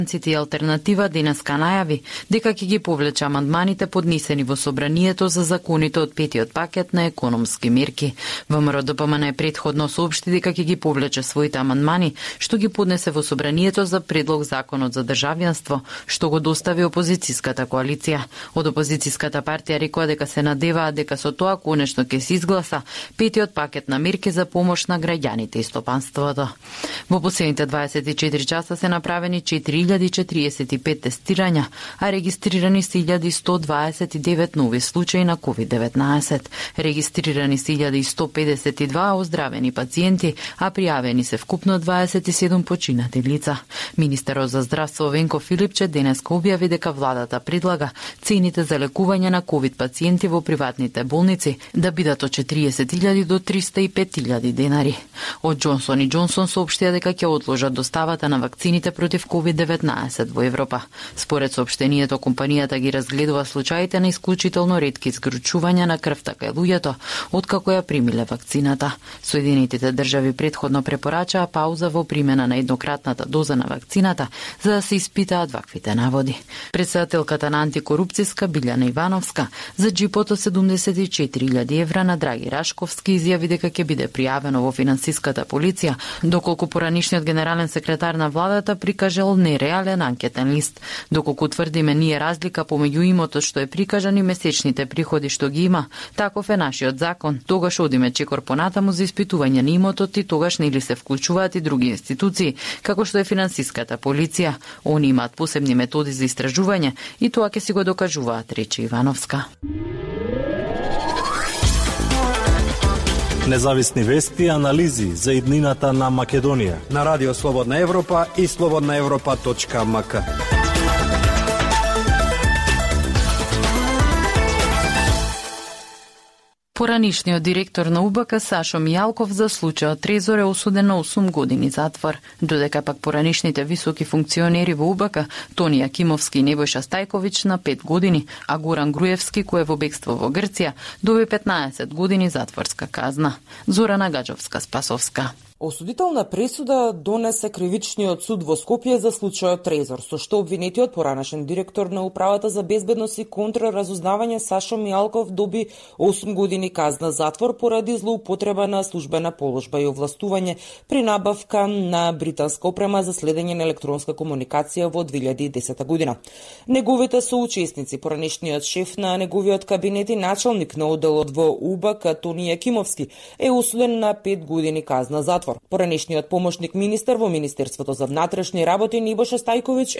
И алтернатива денеска најави дека ќе ги повлече амандманите поднесени во собранието за законите од петиот пакет на економски мерки. ВМРО-ДПМН претходно соопшти дека ќе ги повлече своите амандмани, што ги поднесе во собранието за предлог законот за државјанство, што го достави опозицијската коалиција. Од опозицијската партија рекоа дека се надеваат дека со тоа конечно ќе се изгласа петиот пакет на мерки за помош на граѓаните и стопанството. Во последните 24 часа се направени 4045 тестирања, а регистрирани се 1129 нови случаи на COVID-19. Регистрирани се 1152 оздравени пациенти, а пријавени се вкупно 27 починати лица. Министерот за здравство Венко Филипче денеска објави дека владата предлага цените за лекување на COVID пациенти во приватните болници да бидат од 40.000 до 305.000 денари. Од Джонсон и Джонсон соопштија дека ќе одложат доставата на вакцините против COVID-19 во Европа. Според соопштението, компанијата ги разгледува случаите на исклучително ретки згручувања на крвта кај луѓето откако ја примиле вакцината. Соединетите држави претходно препорачаа пауза во примена на еднократната доза на вакцината за да се испитаат ваквите наводи. Председателката на антикорупцијска Билјана Ивановска за джипото 74.000 евра на Драги Рашковски изјави дека ќе биде пријавено во финансиската полиција, доколку поранишниот генерален секретар на владата прикажал нереален анкетен лист. Доколку тврдиме ние разлика помеѓу имотот што е прикажан и месечните приходи што ги има, таков е нашиот закон. Тогаш одиме чекор понатаму за испитување на имотот и тогаш нели се вклучуваат и други институции, како што е финансиската полиција. Они имаат посебни методи за истражување и тоа ќе си го докажуваат, рече Ивановска. Независни вести и анализи за иднината на Македонија на Радио Слободна Европа и slobodnaevropa.mk. Поранишниот директор на УБК Сашо Мијалков за случајот Трезор е осуден на 8 години затвор, додека пак поранишните високи функционери во УБК Тони Акимовски и Небојша Стајковиќ на 5 години, а Горан Груевски, кој е во бегство во Грција, доби 15 години затворска казна. Зорана Гаджовска-Спасовска. Осудителна пресуда донесе кривичниот суд во Скопје за случајот Трезор, со што обвинетиот поранешен директор на Управата за безбедност и контраразузнавање Сашо Мијалков доби 8 години казна затвор поради злоупотреба на службена положба и овластување при набавка на британска опрема за следење на електронска комуникација во 2010 година. Неговите соучесници, поранешниот шеф на неговиот кабинет и началник на одделот во УБК Тони Акимовски, е осуден на 5 години казна затвор. Поранешниот помошник министер во Министерството за внатрешни работи Небојша Стајковиќ